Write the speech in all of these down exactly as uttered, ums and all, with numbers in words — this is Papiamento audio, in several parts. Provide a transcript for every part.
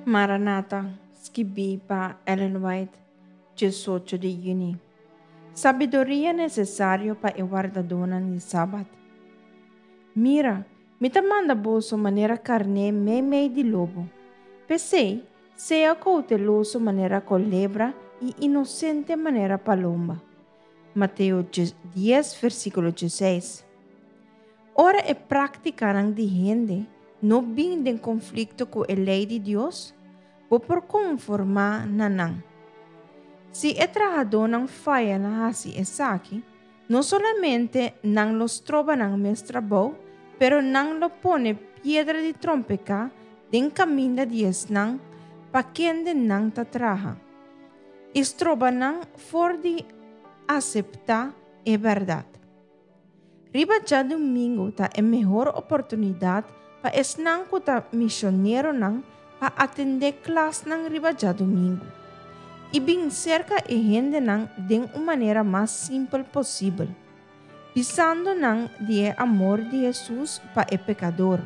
Maranata, skibí pa Ellen White, diesocho di yüni. Sabiduria nesesario pa e wardadónan di Sabat. Mira, mi ta manda boso manera karné meimei di lobo. P'esei, sea kouteloso manera kolebra i inosente manera palomba. Mateo dies, versíkulo diesseis. Ora e práktikanan di hende no bin den konflikto ku e lei di Dios, bo por konformá na nan. Si e trahadónan faya na hasi esaki, no solamente nan lo stroba nan mes trabou, pero nan lo pone piedra di trompeká den kaminda di esnan pa kende nan ta traha, i stroba nan for di aseptá e bèrdat. Riba djadumingu ta e mehor oportunidat pa esnan ku ta misioneronan pa atendé klasnan riba djadumingu i bin serka e hendenan den un manera mas simpel posibel, bisando nan di e amor di Hesus pa e pekador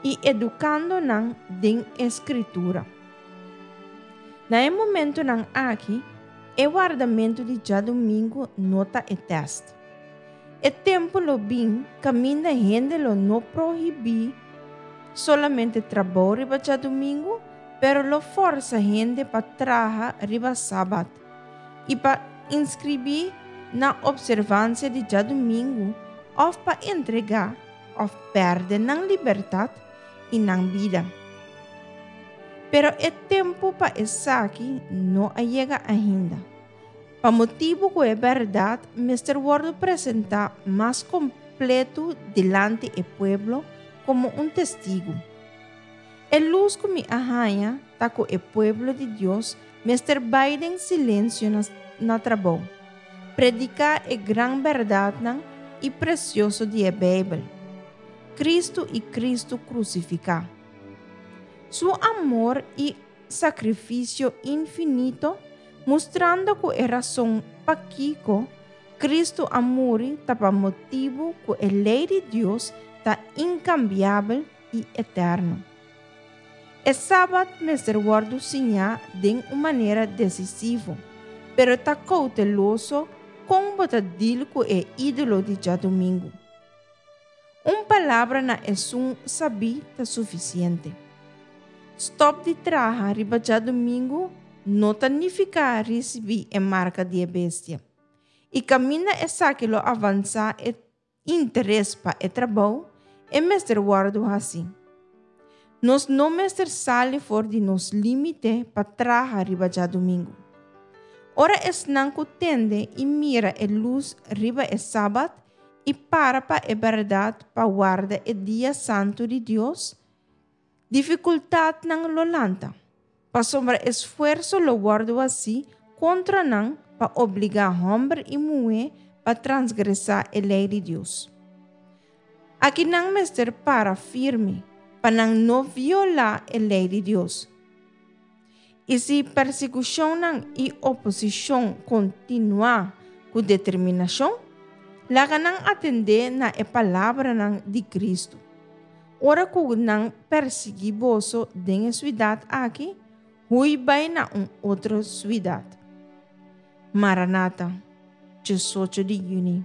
i edukando nan den e Skritura. Na e momentonan aki, e wardamentu di djadumingu no ta e tèst. E tempu lo bin kaminda hende lo no prohibí solamente trabou riba djadumingu, pero lo forsa hende pa traha riba sabat i pa inskribí na opservansia di djadumingu òf pa entregá òf pèrdè nan libertat i nan bida. Pero e tempu pa esaki no a yega ainda, pa motibu ku e bèrdat mester wòrdu presentá mas kompletu dilanti e pueblo komo un testigu. E lus ku mi a haña ta ku e pueblo di Dios mester bai den silensio na, na trabou, prediká e gran bèrdatnan i presioso di e Beibel, Kristu i Kristu krusifiká. Su amor i sakrifisio infinito, mustrando ku e rason pakiko Kristu a muri ta pa motibu ku e lei di Dios ta inkambiabel i eterno. E sabat mester wòrdu siñá den un manera desisivo, pero ta kouteloso kon bo ta dil ku e ídolo di djadumingu. Un palabra na esun sabí ta sufisiente. Stòp di traha riba djadumingu no ta nifiká risibí e marka di e bestia. I kaminda esaki lo avansá e interes pa e trabou, e mester wòrdu hasí. Nos no mester sali for di nos límite pa traha riba djadumingu. Ora esnan ku tende i mira e lus riba e sabat i para pa e bèrdat pa warda e dia santu di Dios, difikultatnan lo lanta, pasobra esfuerso lo wòrdu hasí kontra nan pa obligá hòmber i muhé pa transgresá e lei di Dios. Aki nan mester para firme pa nan no violá e lei di Dios. I si persekushonnan i oposishon kontinuá ku determinashon, laga nan atendé na e palabranan di Kristu: "Ora ku nan persiguí boso den e siudat aki, hui bai na un otro siudat." Maranata, diesocho di yüni.